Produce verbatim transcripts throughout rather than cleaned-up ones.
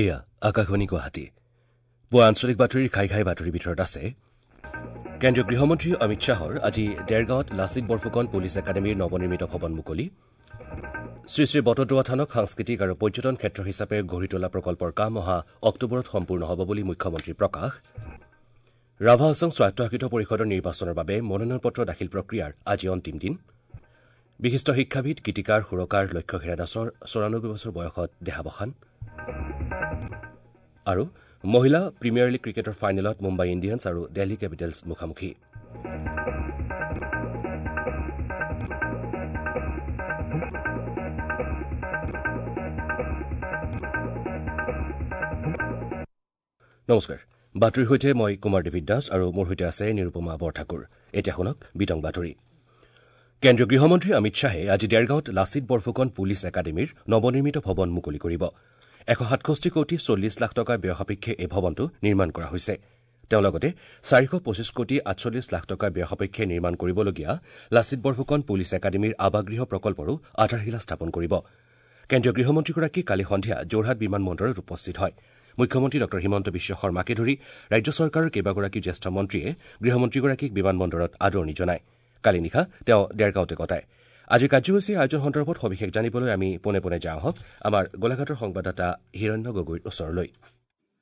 এয়া আকাশবাণী গুৱাহাটী। পুৱা আঞ্চলিক বাতৰিৰ ঘাই ঘাই বাতৰিৰ ভিতৰত আছে কেন্দ্ৰীয় গৃহমন্ত্ৰী অমিত শ্বাহৰ আজি দেৰগাঁৱত লাচিত বৰফুকন পুলিচ একাডেমীৰ নৱনিৰ্মিত ভৱন মুকলি, শ্ৰী শ্ৰী বটদ্ৰৱা থানক সাংস্কৃতিক আৰু পৰ্যটন ক্ষেত্ৰ হিচাপে গঢ়ি তোলা প্ৰকল্পৰ কাম অহা অক্টোবৰত সম্পূৰ্ণ হ'ব বুলি মুখ্যমন্ত্ৰীৰ প্ৰকাশ, ৰাভা হাছং স্বায়ত্তশাসিত পৰিষদৰ নিৰ্বাচনৰ বাবে মনোনয়ন পত্ৰ দাখিল প্ৰক্ৰিয়াৰ আজি অন্তিম দিন, বিশিষ্ট শিক্ষাবিদ গীতিকাৰ সুৰকাৰ লক্ষ্য হীৰা দাসৰ চৌৰানব্বৈ বছৰ বয়সত দেহাৱসান আৰু মহিলা প্ৰিমিয়াৰ লীগ ক্ৰিকেটৰ ফাইনেলত মুম্বাই ইণ্ডিয়ানছ আৰু দিল্লী কেপিটেলছ মুখামুখি। নমস্কাৰ, বাতৰিৰ সৈতে মই কুমাৰ ডেভিড দাস আৰু মোৰ সৈতে আছে নিৰুপমা বৰঠাকুৰ। এতিয়া শুনক বিতং বাতৰি। কেন্দ্ৰীয় গৃহমন্ত্ৰী অমিত শ্বাহে আজি দেৰগাঁৱত লাচিত বৰফুকন পুলিচ একাডেমীৰ নৱনিৰ্মিত ভৱন মুকলি কৰিব। এশ সাতষষ্ঠি কোটি চল্লিছ লাখ টকা ব্যয় সাপেক্ষে এই ভৱনটো নিৰ্মাণ কৰা হৈছে। তেওঁ লগতে চাৰিশ পঁচিছ কোটি আঠচল্লিছ লাখ টকা ব্যয় সাপেক্ষে নিৰ্মাণ কৰিবলগীয়া লাচিত বৰফুকন পুলিচ একাডেমীৰ আৱাসগৃহ প্ৰকল্পৰো আধাৰশিলা স্থাপন কৰিব। কেন্দ্ৰীয় গৃহমন্ত্ৰীগৰাকী কালি সন্ধিয়া যোৰহাট বিমান বন্দৰত উপস্থিত হয়। মুখ্যমন্ত্ৰী ডঃ হিমন্ত বিশ্ব শৰ্মাকে ধৰি ৰাজ্য চৰকাৰৰ কেইবাগৰাকী জ্যেষ্ঠ মন্ত্ৰীয়ে গৃহমন্ত্ৰীগৰাকীক বিমান বন্দৰত আদৰণি জনায়। কালি নিশা তেওঁ দেৰগাঁৱতে কটায়। আজিৰ কাৰ্যসূচীৰ আয়োজন সন্দৰ্ভত সবিশেষ জানিবলৈ আমি পোনে পোনে যাওঁ আহক আমাৰ গোলাঘাটৰ সংবাদদাতা হিৰণ্য গগৈৰ ওচৰলৈ।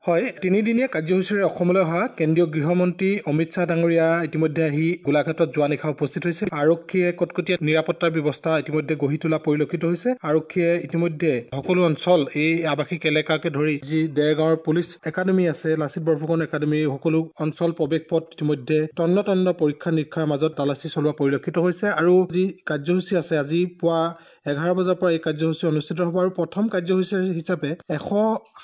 হয়, তিনিদিনীয়া কাৰ্যসূচীৰে অসমলৈ অহা কেন্দ্ৰীয় গৃহমন্ত্ৰী অমিত শ্বাহ ডাঙৰীয়া ইতিমধ্যে আহি গোলাঘাটত যোৱা নিশা উপস্থিত হৈছে। আৰক্ষীয়ে কটকটীয়া নিৰাপত্তাৰ ব্যৱস্থা ইতিমধ্যে গঢ়ি তোলা পৰিলক্ষিত হৈছে। আৰক্ষীয়ে ইতিমধ্যে সকলো অঞ্চল এই আৱাসিক এলেকাকে ধৰি যি দেৰগাঁৱৰ পুলিচ একাডেমী আছে, লাচিত বৰফুকন একাডেমী, সকলো অঞ্চল প্ৰৱেশ পথ ইতিমধ্যে তন্ন তন্ন পৰীক্ষা নিৰীক্ষাৰ মাজত তালাচী চলোৱা পৰিলক্ষিত হৈছে। আৰু যি কাৰ্যসূচী আছে, আজি পুৱা এঘাৰ বজাৰ পৰা এই কাৰ্যসূচী অনুষ্ঠিত হ'ব। আৰু প্ৰথম কাৰ্যসূচী হিচাপে এশ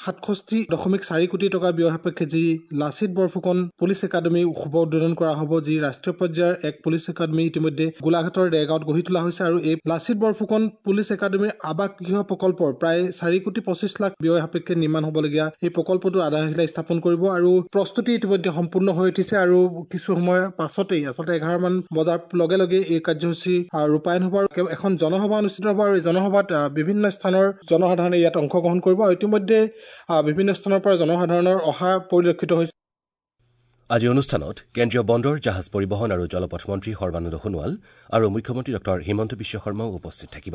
সাতষষ্ঠি দশমিক চাৰি কোটি টকা ব্যয় সাপেক্ষে যি লাচিত বৰফুকন পুলিচ একাডেমী শুভ উদ্বোধন কৰা হ'ব, যি ৰাষ্ট্ৰীয় পৰ্যায়ৰ এক পুলিচ একাডেমী ইতিমধ্যে গোলাঘাটৰ দেৰগাঁৱত গঢ়ি তোলা হৈছে। আৰু এই লাচিত বৰফুকন পুলিচ একাডেমীৰ আৱাসগৃহ প্ৰকল্পৰ প্ৰায় চাৰি কোটি পঁচিছ লাখ ব্যয় সাপেক্ষে নিৰ্মাণ হ'বলগীয়া এই প্ৰকল্পটোৰ আধাৰশিলা স্থাপন কৰিব। আৰু প্ৰস্তুতি ইতিমধ্যে সম্পূৰ্ণ হৈ উঠিছে। আৰু কিছু সময়ৰ পাছতেই আচলতে এঘাৰ মান বজাৰ লগে লগে এই কাৰ্যসূচী ৰূপায়ণ হ'ব আৰু এখন জনসভা অনুষ্ঠিত হ'ব। আৰু এই জনসভাত বিভিন্ন স্থানৰ জনসাধাৰণে ইয়াত অংশগ্ৰহণ কৰিব। আৰু ইতিমধ্যে বিভিন্ন স্থানৰ পৰা জনসাধাৰণৰ অহা পৰিলক্ষিত হৈছে। আজি অনুষ্ঠানত কেন্দ্ৰীয় বন্দৰ, জাহাজ পৰিবহণ আৰু জলপথ মন্ত্ৰী সৰ্বানন্দ সোণোৱাল আৰু মুখ্যমন্ত্ৰী ডঃ হিমন্ত বিশ্ব শৰ্মাও উপস্থিত থাকিব।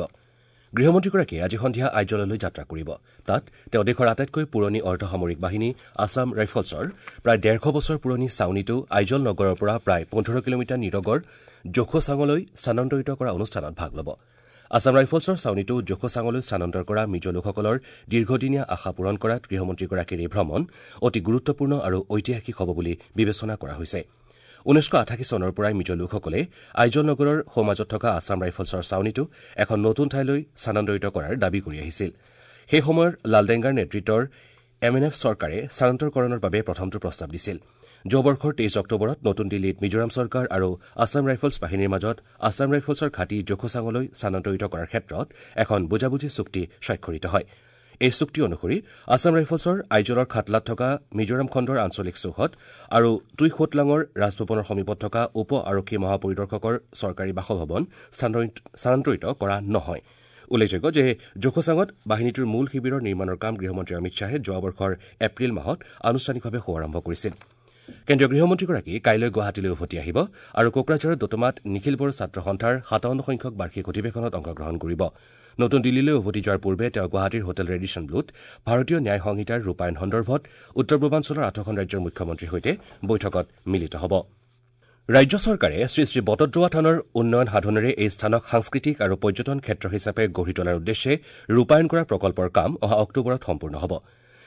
গৃহমন্ত্ৰীগৰাকীয়ে আজি সন্ধিয়া আইজললৈ যাত্ৰা কৰিব। তাত তেওঁ দেশৰ আটাইতকৈ পুৰণি অৰ্ধসামৰিক বাহিনী আছাম ৰাইফলছৰ প্ৰায় ডেৰশ বছৰ পুৰণি ছাউনীটো আইজল নগৰৰ পৰা প্ৰায় পোন্ধৰ কিলোমিটাৰ নিৰগৰ জোখোচাঙলৈ স্থানান্তৰিত কৰা অনুষ্ঠানত ভাগ ল'ব। আছাম ৰাইফলছৰ ছাউনীটো জোখোচাঙলৈ স্থানান্তৰ কৰা মিজো লোকসকলৰ দীৰ্ঘদিনীয়া আশা পূৰণ কৰাত গৃহমন্ত্ৰীগৰাকীৰ এই ভ্ৰমণ অতি গুৰুত্বপূৰ্ণ আৰু ঐতিহাসিক হ'ব বুলি বিবেচনা কৰা হৈছে। ঊনৈছশ আঠাশী চনৰ পৰাই মিজো লোকসকলে আইজল নগৰৰ সোঁমাজত থকা আছাম ৰাইফলছৰ ছাউনীটো এখন নতুন ঠাইলৈ স্থানান্তৰিত কৰাৰ দাবী কৰি আহিছিল। সেই সময়ৰ লালডেংগাৰ নেতৃত্বৰ এম এন এফ চৰকাৰে স্থানান্তৰকৰণৰ বাবে প্ৰথমটো প্ৰস্তাৱ দিছিল। যোৱা বৰ্ষৰ তেইছ অক্টোবৰত নতুন দিল্লীত মিজোৰাম চৰকাৰ আৰু আছাম ৰাইফলছ বাহিনীৰ মাজত আছাম ৰাইফলছৰ ঘাটি জোখোচাঙলৈ স্থানান্তৰিত কৰাৰ ক্ষেত্ৰত এখন বুজাবুজি চুক্তি স্বাক্ষৰিত হয়। এই চুক্তি অনুসৰি আছাম ৰাইফলছৰ আইজলৰ খাটলাত থকা মিজোৰাম খণ্ডৰ আঞ্চলিক চৌহদ আৰু টুইখোটলাঙৰ ৰাজভৱনৰ সমীপত থকা উপ আৰক্ষী মহাপৰিদৰ্শকৰ চৰকাৰী বাসভৱন স্থানান্তৰিত কৰা নহয়। উল্লেখযোগ্য যে জোখোচাঙত বাহিনীটোৰ মূল শিবিৰৰ নিৰ্মাণৰ কাম গৃহমন্ত্ৰী অমিত শ্বাহে যোৱা বৰ্ষৰ এপ্ৰিল মাহত আনুষ্ঠানিকভাৱে শুভাৰম্ভ কৰিছিল। কেন্দ্ৰীয় গৃহমন্ত্ৰীগৰাকী কাইলৈ গুৱাহাটীলৈ উভতি আহিব আৰু কোকৰাঝাৰৰ দোতমাত নিখিল বড়ো ছাত্ৰ সন্থাৰ সাতাৱন্ন সংখ্যক বাৰ্ষিক অধিৱেশনত অংশগ্ৰহণ কৰিব। নতুন দিল্লীলৈ উভতি যোৱাৰ পূৰ্বে তেওঁ গুৱাহাটীৰ হোটেল ৰেডিছন ব্লুত ভাৰতীয় ন্যায় সংহিতাৰ ৰূপায়ণ সন্দৰ্ভত উত্তৰ পূৰ্বাঞ্চলৰ আঠখন ৰাজ্যৰ মুখ্যমন্ত্ৰীৰ সৈতে বৈঠকত মিলিত হ'ব। ৰাজ্য চৰকাৰে শ্ৰী শ্ৰী বটদ্ৰৱা থানৰ উন্নয়ন সাধনেৰে এই স্থানক সাংস্কৃতিক আৰু পৰ্যটন ক্ষেত্ৰ হিচাপে গঢ়ি তোলাৰ উদ্দেশ্যে ৰূপায়ণ কৰা প্ৰকল্পৰ কাম অহা অক্টোবৰত সম্পূৰ্ণ হ'ব।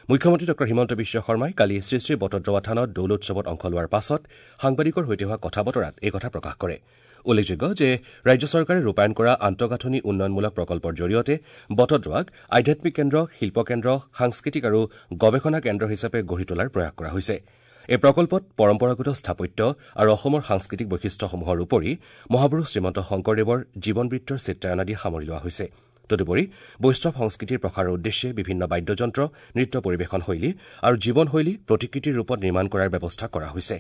মুখ্যমন্ত্ৰী ডঃ হিমন্ত বিশ্ব শৰ্মাই কালি শ্ৰী শ্ৰী বটদ্ৰৱা থানত দৌল উৎসৱত অংশ লোৱাৰ পাছত সাংবাদিকৰ সৈতে হোৱা কথা বতৰাত এই কথা প্ৰকাশ কৰে। উল্লেখযোগ্য যে ৰাজ্য চৰকাৰে ৰূপায়ণ কৰা আন্তঃগাঁথনি উন্নয়নমূলক প্ৰকল্পৰ জৰিয়তে বটদ্ৰৱাক আধ্যাত্মিক কেন্দ্ৰ, শিল্প কেন্দ্ৰ, সাংস্কৃতিক আৰু গৱেষণা কেন্দ্ৰ হিচাপে গঢ়ি তোলাৰ প্ৰয়াস কৰা হৈছে। এই প্ৰকল্পত পৰম্পৰাগত স্থাপত্য আৰু অসমৰ সাংস্কৃতিক বৈশিষ্ট্যসমূহৰ উপৰি মহাপুৰুষ শ্ৰীমন্ত শংকৰদেৱৰ জীৱনবৃত্তৰ চিত্ৰায়ন আদি সামৰি লোৱা হৈছে। তদুপৰি বৈষ্ণৱ সংস্কৃতিৰ প্ৰসাৰৰ উদ্দেশ্যে বিভিন্ন বাদ্যযন্ত্ৰ, নৃত্য পৰিৱেশন শৈলী আৰু জীৱনশৈলী প্ৰতিকৃতিৰ ৰূপত নিৰ্মাণ কৰাৰ ব্যৱস্থা কৰা হৈছে।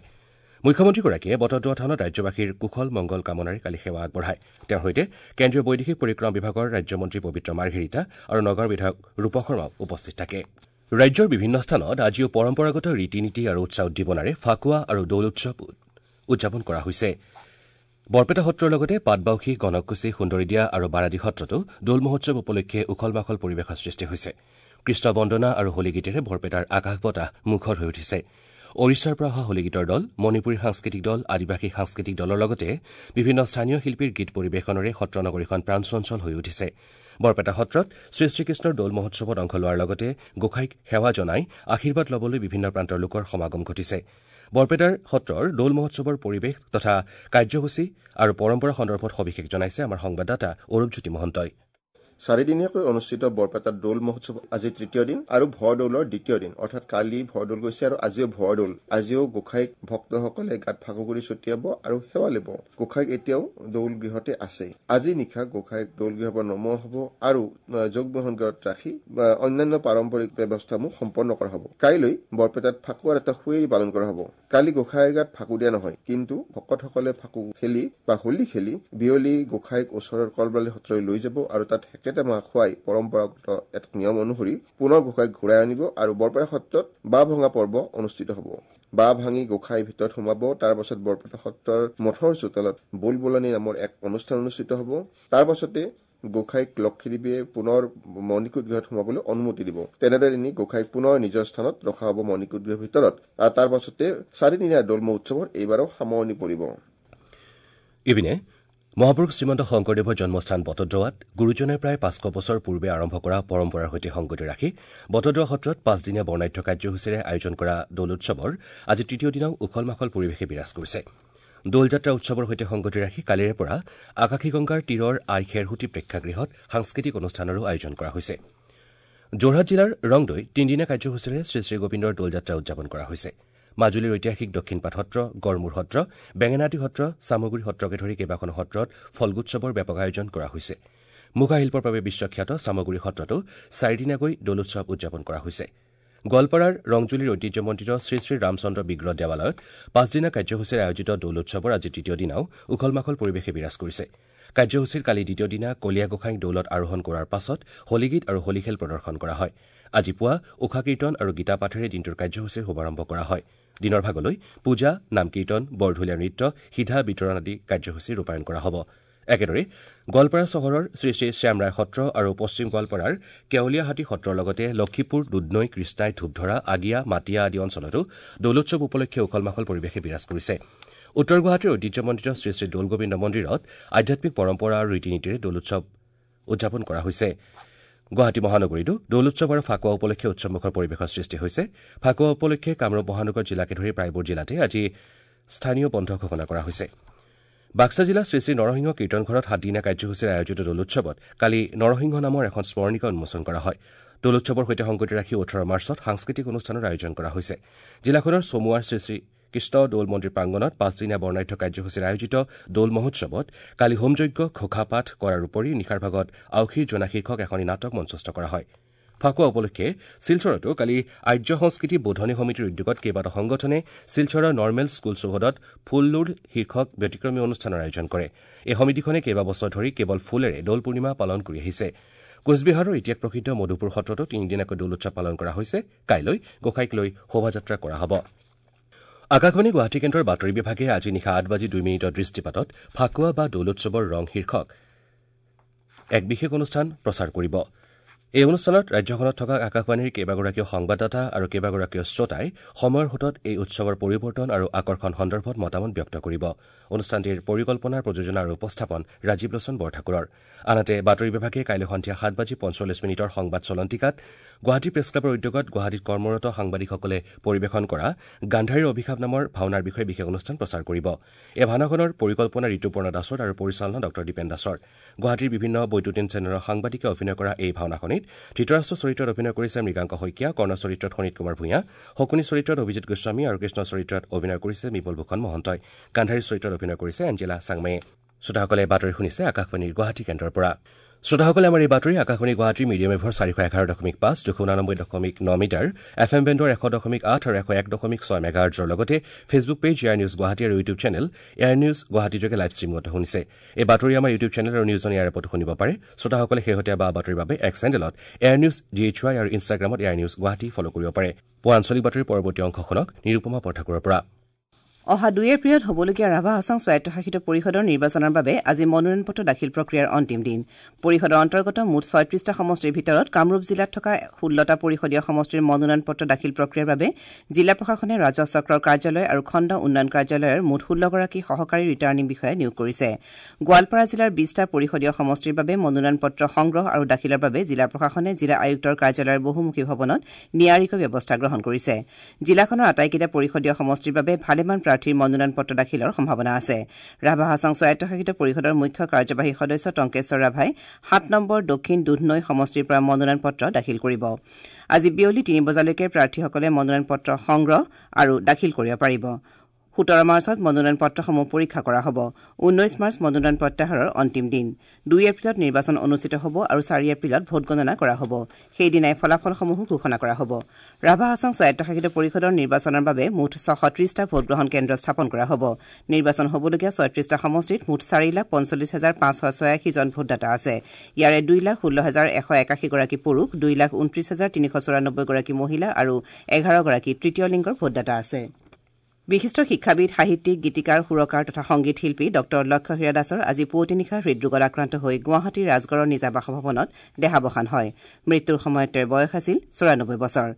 মুখ্যমন্ত্ৰীগৰাকীয়ে বটদ্ৰৱা থানত ৰাজ্যবাসীৰ কুশল মংগল কামনাৰে কালি সেৱা আগবঢ়ায়। তেওঁৰ সৈতে কেন্দ্ৰীয় বৈদেশিক পৰিক্ৰমা বিভাগৰ ৰাজ্যমন্ত্ৰী পবিত্ৰ মাৰ্ঘেৰিটা আৰু নগাঁৱৰ বিধায়ক ৰূপক শৰ্মাও উপস্থিত থাকে। ৰাজ্যৰ বিভিন্ন স্থানত আজিও পৰম্পৰাগত ৰীতি নীতি আৰু উৎসাহ উদ্দীপনাৰে ফাকুৱা আৰু দৌল উৎসৱ উদযাপন কৰা হৈছে। বৰপেটা সত্ৰৰ লগতে পাটবাউসী, গণককুছি, সুন্দৰীদিয়া আৰু বাৰাদি সত্ৰতো দৌল মহোৎসৱ উপলক্ষে উখল মাখল পৰিৱেশৰ সৃষ্টি হৈছে। কৃষ্ণ বন্দনা আৰু হোলীগীতেৰে বৰপেটাৰ আকাশ বতাহ মুখৰ হৈ উঠিছে। ওড়িশাৰ পৰা অহা হোলীগীতৰ দল, মণিপুৰী সাংস্কৃতিক দল, আদিবাসী সাংস্কৃতিক দলৰ লগতে বিভিন্ন স্থানীয় শিল্পীৰ গীত পৰিৱেশনেৰে সত্ৰনগৰীখন প্ৰাণচঞ্চল হৈ উঠিছে। বৰপেটা সত্ৰত শ্ৰীশ্ৰীকৃষ্ণৰ দৌল মহোৎসৱত অংশ লোৱাৰ লগতে গোসাঁইক সেৱা জনাই আশীৰ্বাদ ল'বলৈ বিভিন্ন প্ৰান্তৰ লোকৰ সমাগম ঘটিছে। বৰপেটাৰ সত্ৰৰ দৌল মহোৎসৱৰ পৰিৱেশ তথা কাৰ্যসূচী আৰু পৰম্পৰা সন্দৰ্ভত সবিশেষ জনাইছে আমাৰ সংবাদদাতা অৰূপজ্যোতি মহন্তই। চাৰিদিনীয়াকৈ অনুষ্ঠিত বৰপেটাৰ দৌল মহোৎসৱ আজি তৃতীয় দিন আৰু ভৰদৌলৰ দ্বিতীয় দিন, অৰ্থাৎ কালি ভৰদৌল গৈছে আৰু আজিও ভৰদৌল। আজিও গোসাঁইক ভক্তসকলে গাত ফাকুগুৰি ছটিয়াব আৰু সেৱা ল'ব। গোসাঁইক এতিয়াও দৌল গৃহতে আছে। আজি নিশা গোসাঁইক দৌল গৃহৰ পৰা নমোৱা হ'ব আৰু যোগবহন গৃহত ৰাখি অন্যান্য পাৰম্পৰিক ব্যৱস্থাসমূহ সম্পন্ন কৰা হ'ব। কাইলৈ বৰপেটাত ফাকুৱাৰ এটা সুঁৱেৰী পালন কৰা হ'ব। কালি গোসাঁইৰ গাত ফাকু দিয়া নহয়, কিন্তু ভকতসকলে ফাকু খেলি বা হোলী খেলি বিয়লি গোসাঁইক ওচৰৰ কলবালি সত্ৰলৈ লৈ যাব আৰু তাত মাহ খুৱাই পৰম্পৰাগত এক নিয়ম অনুসৰি পুনৰ গোসাঁইক ঘূৰাই আনিব আৰু বৰপেটা সত্ৰত বাঁহ ভঙা পৰ্ব অনুষ্ঠিত হ'ব। বাঁহ ভাঙি গোসাঁই ভিতৰত সোমাব। তাৰ পাছত বৰপেটা সত্ৰৰ মঠৰ চোতালত বোলবোলনি নামৰ এক অনুষ্ঠান অনুষ্ঠিত হ'ব। তাৰ পাছতে গোসাঁইক লক্ষীদেৱীয়ে পুনৰ মণিকূট গৃহত সোমাবলৈ অনুমতি দিব। তেনেদৰে নি গোসাঁইক পুনৰ নিজৰ স্থানত ৰখা হ'ব মণিকূট গৃহৰ ভিতৰত। আৰু তাৰ পাছতে চাৰিদিনীয়া দৌল মহোৎসৱৰ এইবাৰো সামৰণি পৰিব। ইপিনে মহাপুৰুষ শ্ৰীমন্ত শংকৰদেৱৰ জন্মস্থান বটদ্ৰৱাত গুৰুজনাই প্ৰায় পাঁচশ বছৰ পূৰ্বে আৰম্ভ কৰা পৰম্পৰাৰ সৈতে সংগতি ৰাখি বটদ্ৰৱা সত্ৰত পাঁচদিনীয়া বৰ্ণাঢ্য কাৰ্যসূচীৰে আয়োজন কৰা দৌল উৎসৱৰ আজি তৃতীয় দিনাও উখল মাখল পৰিৱেশে বিৰাজ কৰিছে। দৌলযাত্ৰা উৎসৱৰ সৈতে সংগতি ৰাখি কালিৰে পৰা আকাশীগংগাৰ তীৰৰ আই খেৰসুঁতি প্ৰেক্ষাগৃহত সাংস্কৃতিক অনুষ্ঠানৰো আয়োজন কৰা হৈছে। যোৰহাট জিলাৰ ৰংদৈত তিনিদিনীয়া কাৰ্যসূচীৰে শ্ৰীশ্ৰীগোবিন্দৰ দৌলযাত্ৰা উদযাপন কৰা হৈছে। মাজুলীৰ ঐতিহাসিক দক্ষিণপাট সত্ৰ, গড়মূৰ সত্ৰ, বেঙেনাআটী সত্ৰ, চামগুৰি সত্ৰকে ধৰি কেইবাখনো সত্ৰত ফল্গুৎসৱৰ ব্যাপক আয়োজন কৰা হৈছে। মুখাশিল্পৰ বাবে বিশ্বখ্যাত চামগুৰি সত্ৰতো চাৰিদিনীয়াকৈ দৌলোৎসৱ উদযাপন কৰা হৈছে। গোৱালপাৰাৰ ৰংজুলিৰ ঐতিহ্যমণ্ডিত শ্ৰীশ্ৰী ৰামচন্দ্ৰ বিগ্ৰহ দেৱালয়ত পাঁচদিনীয়া কাৰ্যসূচীৰে আয়োজিত দৌলোৎসৱৰ আজি তৃতীয় দিনাও উখল মাখল পৰিৱেশে বিৰাজ কৰিছে। কাৰ্যসূচীৰ কালি দ্বিতীয় দিনা কলীয়া গোসাঁইক দৌলত আৰোহণ কৰাৰ পাছত হোলীগীত আৰু হোলীখেল প্ৰদৰ্শন কৰা হয়। আজি পুৱা ঊষা কীৰ্তন আৰু গীতা পাঠেৰে দিনটোৰ কাৰ্যসূচীৰ শুভাৰম্ভ কৰা হয়। দিনৰ ভাগলৈ পূজা, নামকীৰ্তন, বৰঢুলীয়া নৃত্য, সিধা বিতৰণ আদি কাৰ্যসূচী ৰূপায়ণ কৰা হ'ব। একেদৰে গোৱালপাৰা চহৰৰ শ্ৰীশ্ৰী শ্যামৰায় সত্ৰ আৰু পশ্চিম গোৱালপাৰাৰ কেৱলীয়াহাটী সত্ৰৰ লগতে লক্ষীপুৰ, দুধনৈ, কৃষ্ণাই, ধূপধৰা, আগিয়া, মাটিয়া আদি অঞ্চলতো দৌলোৎসৱ উপলক্ষে উখল মাখল পৰিৱেশে বিৰাজ কৰিছে। উত্তৰ গুৱাহাটীৰ ঐতিহ্যমণ্ডিত শ্ৰীশ্ৰী দৌলগোবিন্দ মন্দিৰত আধ্যাত্মিক পৰম্পৰা আৰু ৰীতি নীতিৰে দৌলোৎসৱ উদযাপন কৰা হৈছে। গুৱাহাটী মহানগৰীতো দৌলোৎসৱ আৰু ফাকুৱা উপলক্ষে উৎসৱমুখৰ পৰিৱেশৰ সৃষ্টি হৈছে। ফাকুৱা উপলক্ষে কামৰূপ মহানগৰ জিলাকে ধৰি প্ৰায়বোৰ জিলাতে আজি স্থানীয় বন্ধ ঘোষণা কৰা হৈছে। বাক্সা জিলাৰ শ্ৰীশ্ৰী নৰসিংহ কীৰ্তনঘৰত সাতদিনীয়া কাৰ্যসূচীৰে আয়োজিত দৌলোৎসৱত কালি নৰসিংহ নামৰ এখন স্মৰণিকা উন্মোচন কৰা হয়। দৌলোৎসৱৰ সৈতে সংগতি ৰাখি ওঠৰ মাৰ্চত সাংস্কৃতিক অনুষ্ঠানৰ আয়োজন কৰা হৈছে। জিলাখনৰ চমুৱাৰ শ্ৰীশ্ৰী কৃষ্ণ দৌল মন্দিৰ প্ৰাংগণত পাঁচদিনীয়া বৰ্ণাঢ্য কাৰ্যসূচীৰে আয়োজিত দৌল মহোৎসৱত কালি হোমযজ্ঞ, ঘোষা পাঠ কৰাৰ উপৰি নিশাৰ ভাগত আউসীৰ জোনা শীৰ্ষক এখনি নাটক মঞ্চস্থ কৰা হয়। ফাকুৱা উপলক্ষে শিলচৰতো কালি আৰ্য সংস্কৃতি বোধনী সমিতিৰ উদ্যোগত কেইবাটাও সংগঠনে শিলচৰৰ নৰ্মেল স্কুল চৌহদত ফুললোড শীৰ্ষক ব্যতিক্ৰমী অনুষ্ঠানৰ আয়োজন কৰে। এই সমিতিখনে কেইবাবছৰ ধৰি কেৱল ফুলেৰে দৌল পূৰ্ণিমা পালন কৰি আহিছে। কোচবিহাৰৰ ইতিহাস প্ৰসিদ্ধ মধুপুৰ সত্ৰতো তিনিদিনীয়াকৈ দৌল উৎসৱ পালন কৰা হৈছে। কাইলৈ গোসাঁইক লৈ শোভাযাত্ৰা কৰা হ'ব। আকাশবাণী গুৱাহাটী কেন্দ্ৰৰ বাতৰি বিভাগে আজি নিশা আঠ বাজি দুই মিনিটৰ দৃষ্টিপাতত ফাকুৱা বা দৌলোৎসৱৰ ৰং শীৰ্ষক এক বিশেষ অনুষ্ঠান প্ৰচাৰ কৰিব। এই অনুষ্ঠানত ৰাজ্যখনত থকা আকাশবাণীৰ কেইবাগৰাকীও সংবাদদাতা আৰু কেইবাগৰাকীও শ্ৰোতাই সময়ৰ সোঁতত এই উৎসৱৰ পৰিৱৰ্তন আৰু আকৰ্ষণ সন্দৰ্ভত মতামত ব্যক্ত কৰিব। অনুষ্ঠানটিৰ পৰিকল্পনাৰ প্ৰযোজনা আৰু উপস্থাপন ৰাজীৱ লোচন বৰঠাকুৰৰ। আনহাতে বাতৰি বিভাগে কাইলৈ সন্ধিয়া সাত বাজি পঞ্চল্লিছ মিনিটৰ সংবাদ চলন্তিকাত গুৱাহাটী প্ৰেছ ক্লাবৰ উদ্যোগত গুৱাহাটীত কৰ্মৰত সাংবাদিকসকলে পৰিৱেশন কৰা গান্ধাৰীৰ অভিশাপ নামৰ ভাওনাৰ বিষয়ে বিশেষ অনুষ্ঠান প্ৰচাৰ কৰিব। এই ভাওনাখনৰ পৰিকল্পনা ঋতুপৰ্ণ দাসৰ আৰু পৰিচালনা ডঃ দীপেন দাসৰ। গুৱাহাটীৰ বিভিন্ন বৈদ্যুতিন চেনেলৰ সাংবাদিকে অভিনয় কৰা এই ভাওনাখনিত ধৃতৰাষ্ট্ৰ চৰিত্ৰত অভিনয় কৰিছে মৃগাংক শইকীয়া, কৰ্ণ চৰিত্ৰত শোণিত কুমাৰ ভূঞা, শকুনি চৰিত্ৰত অভিজিত গোস্বামী আৰু কৃষ্ণ চৰিত্ৰত অভিনয় কৰিছে বিপুল ভূষণ মহন্তই। গান্ধাৰী চৰিত্ৰত অভিনয় কৰিছে এঞ্জেলা চাংমায়ে। শ্ৰোতাসকলে বাতৰি শুনিছে আকাশবাণীৰ গুৱাহাটী কেন্দ্ৰৰ পৰা। শ্ৰোতাসকলে আমাৰ এই বাতৰি আকাশবাণী গুৱাহাটীৰ মিডিয়াম ৱেভৰ চাৰিশ এঘাৰ দশমিক পাঁচ, দুশ ঊনানব্বৈ দশমিক ন মিটাৰ, এফ এম বেণ্ডৰ এশ দশমিক আঠ আৰু এশ এক দশমিক ছয় মেগাহাৰ্টজৰ লগতে Facebook page AIR news Guwahati আৰু YouTube channel AIR news Guwahati যোগে লাইভ ষ্ট্ৰীমিঙত শুনিছে। এই বাতৰি আমাৰ ইউটিউব চেনেল আৰু নিউজ অন এয়াৰ এপতো শুনিব পাৰে। শ্ৰোতাসকলে শেহতীয়া বা বাতৰিৰ বাবে এক্স চেনেলত AIR news D H Y আৰু ইনষ্টাগ্ৰামত এয়াৰ নিউজ গুৱাহাটী ফ'ল' কৰিব পাৰে। পুৱা আঞ্চলিক বাতৰিৰ পৰৱৰ্তী অংশ শুনক নিৰুপমা বৰঠাকুৰৰ পৰা। অহা দুই এপ্ৰিলত হ'বলগীয়া ৰাভা হাছং স্বায়ত্তশাসিত পৰিষদৰ নিৰ্বাচনৰ বাবে আজি মনোনয়ন পত্ৰ দাখিল প্ৰক্ৰিয়াৰ অন্তিম দিন। পৰিষদৰ অন্তৰ্গত মুঠ ছয়ত্ৰিশটা সমষ্টিৰ ভিতৰত কামৰূপ জিলাত থকা ষোল্লটা পৰিষদীয় সমষ্টিৰ মনোনয়ন পত্ৰ দাখিল প্ৰক্ৰিয়াৰ বাবে জিলা প্ৰশাসনে ৰাজহ চক্ৰৰ কাৰ্যালয় আৰু খণ্ড উন্নয়ন কাৰ্যালয়ৰ মুঠ ষোল্লগৰাকী সহকাৰী ৰিটাৰ্ণিং বিষয়া নিয়োগ কৰিছে। গোৱালপাৰা জিলাৰ বিশটা পৰিষদীয় সমষ্টিৰ বাবে মনোনয়ন পত্ৰ সংগ্ৰহ আৰু দাখিলৰ বাবে জিলা প্ৰশাসনে জিলা আয়ুক্তৰ কাৰ্যালয়ৰ বহুমুখী ভৱনত নিয়াৰিকৈ ব্যৱস্থা গ্ৰহণ কৰিছে। জিলাখনৰ আটাইকেইটা পৰিষদীয় সমষ্টিৰ বাবে ভালেমান প্ৰাৰ্থীৰ মনোনয়ন পত্ৰ দাখিলৰ সম্ভাৱনা আছে। ৰাভা হাছং স্বায়ত্তশাসিত পৰিষদৰ মুখ্য কাৰ্যবাহী সদস্য টংকেশ্বৰ ৰাভাই সাত নম্বৰ দক্ষিণ দুধনৈ সমষ্টিৰ পৰা মনোনয়ন পত্ৰ দাখিল কৰিব। আজি বিয়লি তিনি বজালৈকে প্ৰাৰ্থীসকলে মনোনয়ন পত্ৰ সংগ্ৰহ আৰু দাখিল কৰিব পাৰিব। সোতৰ মাৰ্চত মনোনয়ন পত্ৰসমূহ পৰীক্ষা কৰা হ'ব। ঊনৈশ মাৰ্চ মনোনয়ন প্ৰত্যাহাৰৰ অন্তিম দিন। দুই এপ্ৰিলত নিৰ্বাচন অনুষ্ঠিত হ'ব আৰু চাৰি এপ্ৰিলত ভোটগণনা কৰা হ'ব। সেইদিনাই ফলাফলসমূহো ঘোষণা কৰা হ'ব। ৰাভা হাছং স্বায়ত্তশাসিত পৰিষদৰ নিৰ্বাচনৰ বাবে মুঠ ছশ ত্ৰিশটা ভোটগ্ৰহণ কেন্দ্ৰ স্থাপন কৰা হ'ব। নিৰ্বাচন হ'বলগীয়া ছয়ত্ৰিশটা সমষ্টিত মুঠ চাৰি লাখ পঞ্চল্লিছ হাজাৰ পাঁচশ ছয়াশীজন ভোটদাতা আছে। ইয়াৰে দুই লাখ ষোল্ল হাজাৰ এশ একাশীগৰাকী পুৰুষ, দুই লাখ ঊনত্ৰিশ হাজাৰ তিনিশ চৌৰানব্বৈগৰাকী মহিলা আৰু এঘাৰগৰাকী তৃতীয় লিংগৰ ভোটদাতা আছে। বিশিষ্ট শিক্ষাবিদ, সাহিত্যিক, গীতিকাৰ, সুৰকাৰ তথা সংগীত শিল্পী ডঃ লক্ষ্য হীৰা দাসৰ আজি পুৱতি নিশা হৃদৰোগত আক্ৰান্ত হৈ গুৱাহাটীৰ ৰাজগড়ৰ নিজা বাসভৱনত দেহাৱসান হয়। মৃত্যুৰ সময়ত তেওঁৰ বয়স আছিল চৌৰানব্বৈ বছৰ।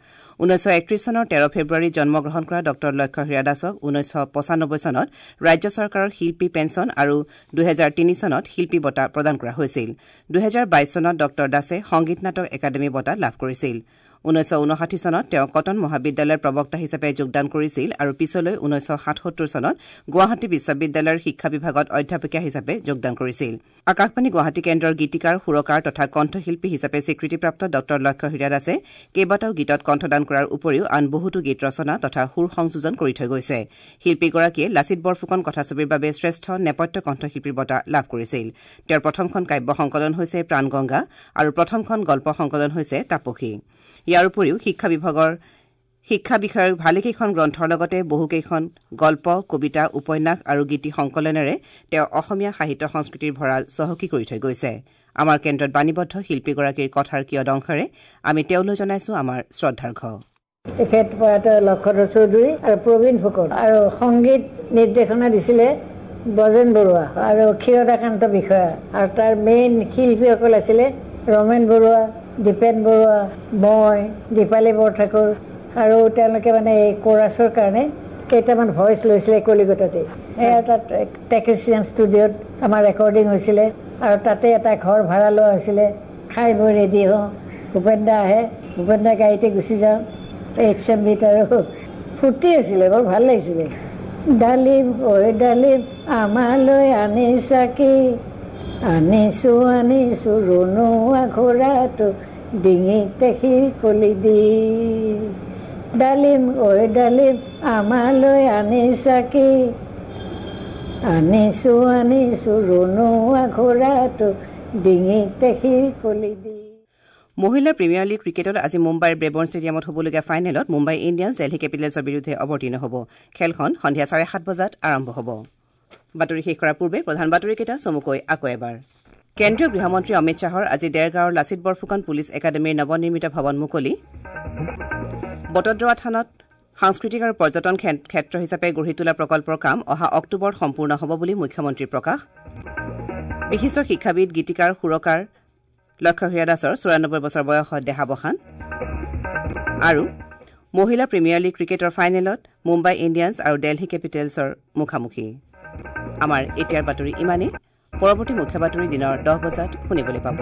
ঊনৈছশ একত্ৰিশ চনৰ তেৰ ফেব্ৰুৱাৰীত জন্মগ্ৰহণ কৰা ডঃ লক্ষ্য হীৰা দাসক ঊনৈছশ পঁচানব্বৈ চনত ৰাজ্য চৰকাৰৰ শিল্পী পেঞ্চন আৰু দুহেজাৰ তিনি চনত শিল্পী বঁটা প্ৰদান কৰা হৈছিল। দুহেজাৰ বাইছ চনত ডঃ দাসে সংগীত নাটক একাডেমী বঁটা লাভ কৰিছিল। ঊনৈছশ ঊনষাঠি চনত তেওঁ কটন মহাবিদ্যালয়ৰ প্ৰবক্তা হিচাপে যোগদান কৰিছিল আৰু পিছলৈ ঊনৈছশ সাতসত্তৰ চনত গুৱাহাটী বিশ্ববিদ্যালয়ৰ শিক্ষা বিভাগত অধ্যাপিকা হিচাপে যোগদান কৰিছিল। আকাশবাণী গুৱাহাটী কেন্দ্ৰৰ গীতিকাৰ, সুৰকাৰ তথা কণ্ঠশিল্পী হিচাপে স্বীকৃতিপ্ৰাপ্ত ডঃ লক্ষ্য হীৰা দাসে কেইবাটাও গীতত কণ্ঠদান কৰাৰ উপৰিও আন বহুতো গীত ৰচনা তথা সুৰ সংযোজন কৰি থৈ গৈছে। শিল্পীগৰাকীয়ে লাচিত বৰফুকন কথাছবিৰ বাবে শ্ৰেষ্ঠ নেপথ্য কণ্ঠশিল্পীৰ বঁটা লাভ কৰিছিল। তেওঁৰ প্ৰথমখন কাব্য সংকলন হৈছে প্ৰাণগংগা আৰু প্ৰথমখন গল্প সংকলন হৈছে তাপসী। ইয়াৰ উপৰিও শিক্ষা বিভাগৰ শিক্ষা বিষয়ৰ ভালেকেইখন গ্ৰন্থৰ লগতে বহুকেইখন গল্প, কবিতা, উপন্যাস আৰু গীতি সংকলনেৰে তেওঁ অসমীয়া সাহিত্য সংস্কৃতিৰ ভঁৰাল চহকী কৰি থৈ গৈছে। আমাৰ কেন্দ্ৰত বাণীবদ্ধ শিল্পীগৰাকীৰ কথাৰ কিয়দংশৰে আমি তেওঁলৈ জনাইছো আমাৰ শ্ৰদ্ধাৰ্ঘ। তেখেত প্ৰয়াত লক্ষ্যধৰ চৌধুৰী আৰু প্ৰবীণ ফুকন আৰু সংগীত নিৰ্দেশনা দিছিলে ব্ৰজেন বৰুৱা আৰু ক্ষীৰদাকান্ত বিষয়া আৰু তাৰ মেইন শিল্পীসকল আছিলে ৰমেন বৰুৱা, দীপেন বৰুৱা, মই, দীপালী বৰঠাকুৰ আৰু তেওঁলোকে মানে এই কোৰাছৰ কাৰণে কেইটামান ভইচ লৈছিলে কলিকতাতে। সেয়া তাত টেকনিচিয়ান ষ্টুডিঅ'ত আমাৰ ৰেকৰ্ডিং হৈছিলে আৰু তাতে এটা ঘৰ ভাড়া লোৱা হৈছিলে। খাই বৈ ৰেডি হওঁ, ভূপেন দা আহে, ভূপেন দা গাড়ীতে গুচি যাওঁ এইচ এম বিত আৰু ফূৰ্তি হৈছিলে, বৰ ভাল লাগিছিলে। ডালিম ঐ ডালিম আমালৈ আনিছা কি, আনিছোঁ আনিছোঁ ৰণুৱা ঘোঁৰাটো ডিঙিতে শিকলি দি। ডালিম ঐ ডালিম আমালৈ আনিছা কি, আনিছোঁ আনিছোঁ ৰণুৱা ঘোঁৰাটো ডিঙিতে শিকলি দি। মহিলা প্ৰিমিয়াৰ লীগ ক্ৰিকেটত আজি মুম্বাইৰ ব্ৰেবৰ্ণ ষ্টেডিয়ামত হ'বলগীয়া ফাইনেলত মুম্বাই ইণ্ডিয়ানছ দেলহি কেপিটেলছৰ বিৰুদ্ধে অৱতীৰ্ণ হ'ব। খেলখন সন্ধিয়া চাৰে সাত বজাত আৰম্ভ হ'ব। বাতৰি শেষ কৰাৰ পূৰ্বে প্ৰধান বাতৰিকেইটা চমুকৈ আকৌ এবাৰ। কেন্দ্ৰীয় গৃহমন্ত্ৰী অমিত শ্বাহৰ আজি দেৰগাঁৱৰ লাচিত বৰফুকন পুলিচ একাডেমীৰ নৱনিৰ্মিত ভৱন মুকলি। বটদ্ৰৱা থানত সাংস্কৃতিক আৰু পৰ্যটন ক্ষেত্ৰ হিচাপে গঢ়ি তোলা প্ৰকল্পৰ কাম অহা অক্টোবৰত সম্পূৰ্ণ হ'ব বুলি মুখ্যমন্ত্ৰীৰ প্ৰকাশ। বিশিষ্ট শিক্ষাবিদ, গীতিকাৰ, সুৰকাৰ লক্ষ্য হীৰা দাসৰ চৌৰানব্বৈ বছৰ বয়সত দেহাৱসান। আৰু মহিলা প্ৰিমিয়াৰ লীগ ক্ৰিকেটৰ ফাইনেলত মুম্বাই ইণ্ডিয়ানছ আৰু দেলহি কেপিটেলছৰ মুখামুখি। আমাৰ এতিয়াৰ বাতৰি ইমানেই। পৰৱৰ্তী মুখ্য বাতৰি দিনৰ দহ বজাত শুনিবলৈ পাব।